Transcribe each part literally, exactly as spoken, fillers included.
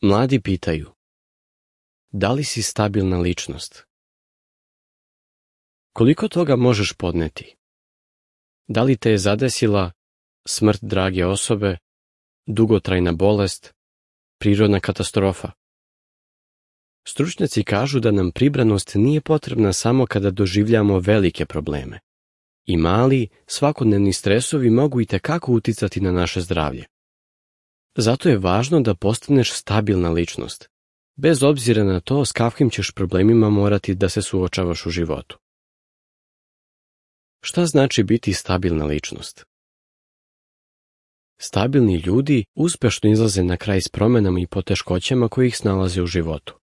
Mladi pitaju: da li si stabilna ličnost? Koliko toga možeš podneti? Da li te je zadesila smrt drage osobe, dugotrajna bolest, prirodna katastrofa? Stručnjaci kažu da nam pribranost nije potrebna samo kada doživljamo velike probleme. I mali, svakodnevni stresovi mogu itekako uticati na naše zdravlje. Zato je važno da postaneš stabilna ličnost, bez obzira na to s kakvim ćeš problemima morati da se suočavaš u životu. Šta znači biti stabilna ličnost? Stabilni ljudi uspešno izlaze na kraj s promenama i poteškoćama koje ih snalaze u životu.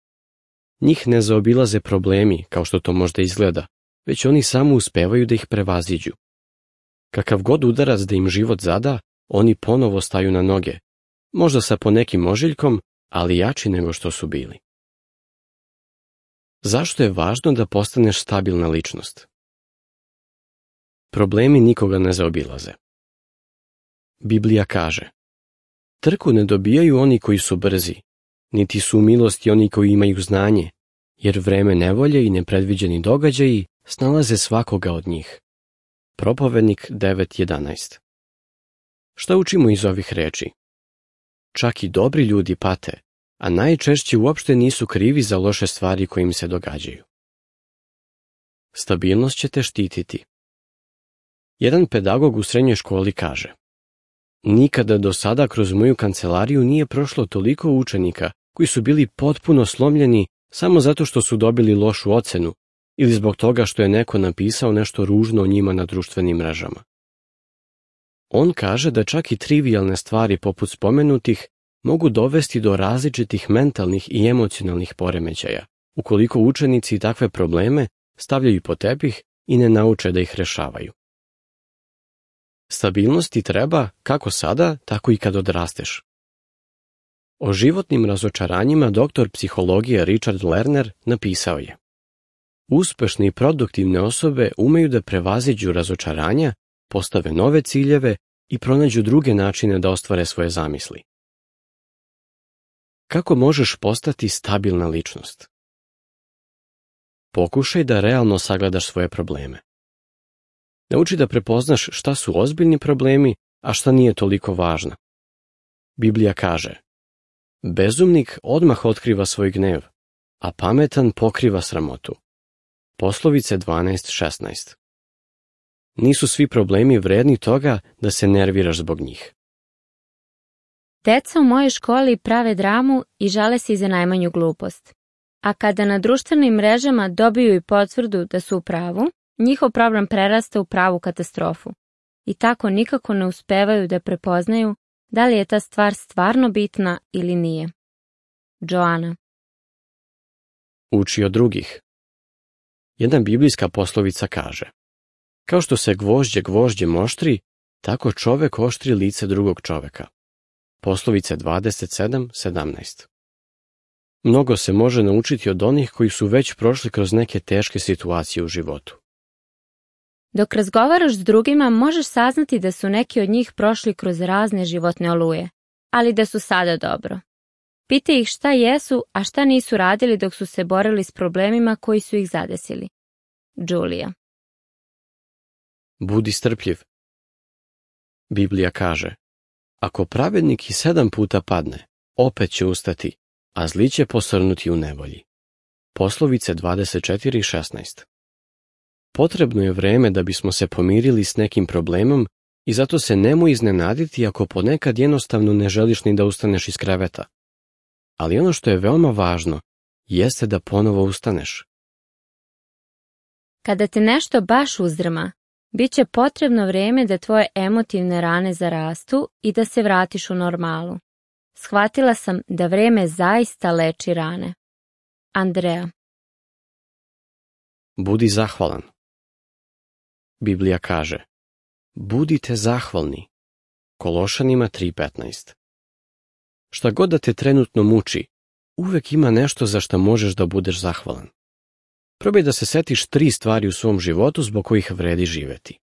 Njih ne zaobilaze problemi, kao što to možda izgleda, već oni samo uspevaju da ih prevaziđu. Kakav god udarac da im život zada, oni ponovo staju na noge, možda sa ponekim ožiljkom, ali jači nego što su bili. Zašto je važno da postaneš stabilna ličnost? Problemi nikoga ne zaobilaze. Biblija kaže: trku ne dobijaju oni koji su brzi, niti su u milosti oni koji imaju znanje, jer vreme nevolje i nepredviđeni događaji snalaze svakoga od njih. Propovednik devet jedanaest. Šta učimo iz ovih reči? Čak i dobri ljudi pate, a najčešće uopšte nisu krivi za loše stvari koje im se događaju. Stabilnost će te štititi. Jedan pedagog u srednjoj školi kaže: nikada do sada kroz moju kancelariju nije prošlo toliko učenika koji su bili potpuno slomljeni samo zato što su dobili lošu ocenu ili zbog toga što je neko napisao nešto ružno o njima na društvenim mrežama. On kaže da čak i trivijalne stvari poput spomenutih mogu dovesti do različitih mentalnih i emocionalnih poremećaja, ukoliko učenici takve probleme stavljaju pod tepih i ne nauče da ih rešavaju. Stabilnosti treba kako sada, tako i kad odrasteš. O životnim razočaranjima doktor psihologije Richard Lerner napisao je: uspešne i produktivne osobe umeju da prevaziđu razočaranja, postave nove ciljeve i pronađu druge načine da ostvare svoje zamisli. Kako možeš postati stabilna ličnost? Pokušaj da realno sagledaš svoje probleme. Nauči da prepoznaš šta su ozbiljni problemi, a šta nije toliko važno. Biblija kaže: bezumnik odmah otkriva svoj gnev, a pametan pokriva sramotu. Poslovice dvanaest šesnaest. Nisu svi problemi vredni toga da se nerviraš zbog njih. Deca u mojoj školi prave dramu i žale se i za najmanju glupost. A kada na društvenim mrežama dobiju i potvrdu da su u pravu, njihov problem prerasta u pravu katastrofu. I tako nikako ne uspevaju da prepoznaju da li je ta stvar stvarno bitna ili nije. Joana. Uči od drugih. Jedna biblijska poslovica kaže: kao što se gvožđe gvožđem oštri, tako čovek oštri lice drugog čoveka. Poslovice dvadeset sedam sedamnaest. Mnogo se može naučiti od onih koji su već prošli kroz neke teške situacije u životu. Dok razgovaraš s drugima, možeš saznati da su neki od njih prošli kroz razne životne oluje, ali da su sada dobro. Pitaj ih šta jesu, a šta nisu radili dok su se borili s problemima koji su ih zadesili. Julija. Budi strpljiv. Biblija kaže: ako pravednik i sedam puta padne, opet će ustati, a zli će posrnuti u nevolji. Poslovice dvadeset četiri šesnaest. Potrebno je vreme da bismo se pomirili s nekim problemom i zato se nemoj iznenaditi ako ponekad jednostavno ne želiš ni da ustaneš iz kreveta. Ali ono što je veoma važno jeste da ponovo ustaneš. Kada te nešto baš uzdrma, bit će potrebno vreme da tvoje emotivne rane zarastu i da se vratiš u normalu. Shvatila sam da vreme zaista leči rane. Andrea. Budi zahvalan. Biblija kaže: budite zahvalni. Kološanima tri petnaest. Šta god da te trenutno muči, uvek ima nešto za šta možeš da budeš zahvalan. Probaj da se setiš tri stvari u svom životu zbog kojih vredi živeti.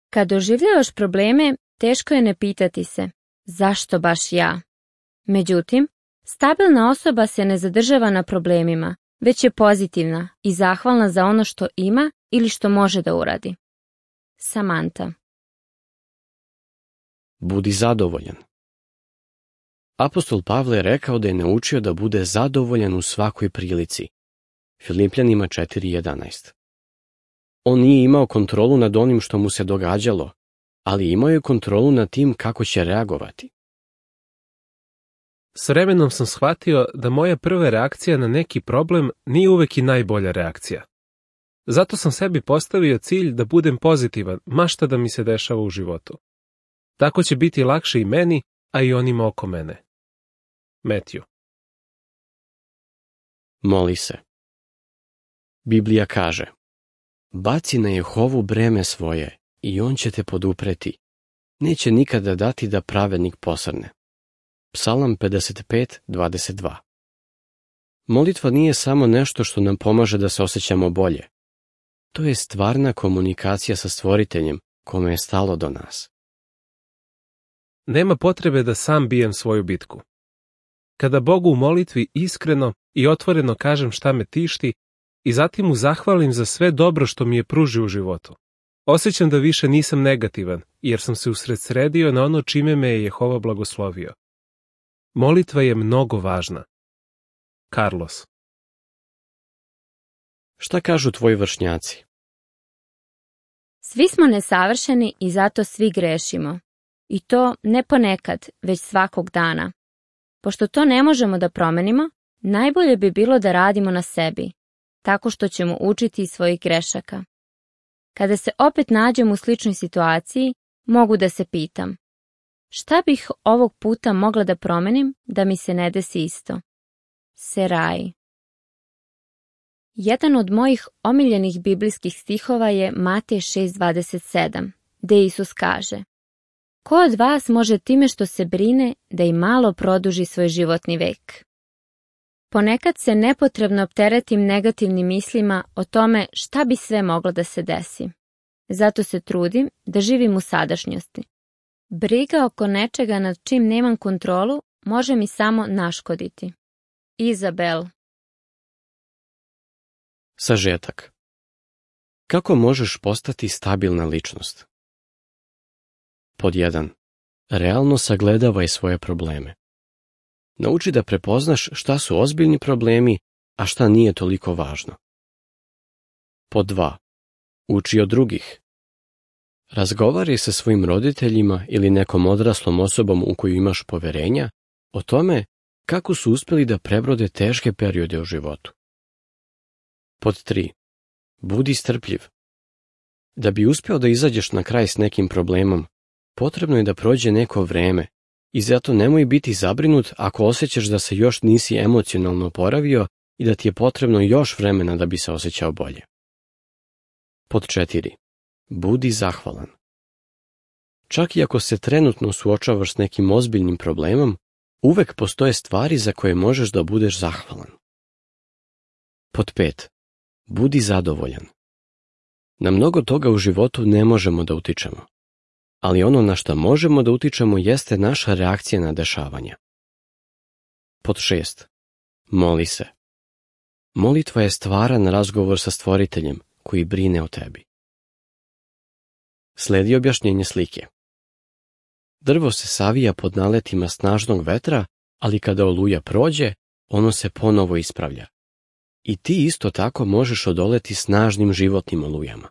Kad doživljavaš probleme, teško je ne pitati se: zašto baš ja? Međutim, stabilna osoba se ne zadržava na problemima, već je pozitivna i zahvalna za ono što ima ili što može da uradi. Samanta. Budi zadovoljan. Apostol Pavle je rekao da je naučio da bude zadovoljan u svakoj prilici. Filipljanima četiri jedanaest. On nije imao kontrolu nad onim što mu se događalo, ali imao je kontrolu nad tim kako će reagovati. S vremenom sam shvatio da moja prva reakcija na neki problem nije uvek i najbolja reakcija. Zato sam sebi postavio cilj da budem pozitivan, ma šta da mi se dešava u životu. Tako će biti lakše i meni, a i onima oko mene. Matthew. Moli se. Biblija kaže: baci na Jehovu breme svoje i on će te podupreti. Neće nikada dati da pravednik posrne. Psalam pedeset pet dvadeset dva. Molitva nije samo nešto što nam pomaže da se osjećamo bolje. To je stvarna komunikacija sa Stvoriteljem kome je stalo do nas. Nema potrebe da sam bijem svoju bitku. Kada Bogu u molitvi iskreno i otvoreno kažem šta me tišti i zatim mu zahvalim za sve dobro što mi je pružio u životu, osjećam da više nisam negativan, jer sam se usredsredio na ono čime me je Jehova blagoslovio. Molitva je mnogo važna. Carlos. Šta kažu tvoji vršnjaci? Svi smo nesavršeni i zato svi grešimo. I to ne ponekad, već svakog dana. Pošto to ne možemo da promenimo, najbolje bi bilo da radimo na sebi, tako što ćemo učiti iz svojih grešaka. Kada se opet nađem u sličnoj situaciji, mogu da se pitam: šta bih ovog puta mogla da promenim da mi se ne desi isto? Seraj. Jedan od mojih omiljenih biblijskih stihova je Matej šest dvadeset sedam, gde Isus kaže: ko od vas može time što se brine da i malo produži svoj životni vek? Ponekad se nepotrebno opteretim negativnim mislima o tome šta bi sve moglo da se desi. Zato se trudim da živim u sadašnjosti. Briga oko nečega nad čim nemam kontrolu može mi samo naškoditi. Izabel. Sažetak. Kako možeš postati stabilna ličnost? Pod jedan. Realno sagledavaj svoje probleme. Nauči da prepoznaš šta su ozbiljni problemi, a šta nije toliko važno. Pod dva. Uči od drugih. Razgovaraj sa svojim roditeljima ili nekom odraslom osobom u koju imaš poverenja o tome kako su uspeli da prebrode teške periode u životu. Pod tri. Budi strpljiv. Da bi uspeo da izađeš na kraj s nekim problemom, potrebno je da prođe neko vreme i zato nemoj biti zabrinut ako osjećaš da se još nisi emocionalno oporavio i da ti je potrebno još vremena da bi se osjećao bolje. Pod četiri. Budi zahvalan. Čak i ako se trenutno suočavaš s nekim ozbiljnim problemom, uvek postoje stvari za koje možeš da budeš zahvalan. Pod pet. Budi zadovoljan. Na mnogo toga u životu ne možemo da utičemo, ali ono na što možemo da utičemo jeste naša reakcija na dešavanja. Pod šest. Moli se. Molitva je stvaran razgovor sa Stvoriteljem koji brine o tebi. Sledi objašnjenje slike. Drvo se savija pod naletima snažnog vetra, ali kada oluja prođe, ono se ponovo ispravlja. I ti isto tako možeš odoleti snažnim životnim olujama.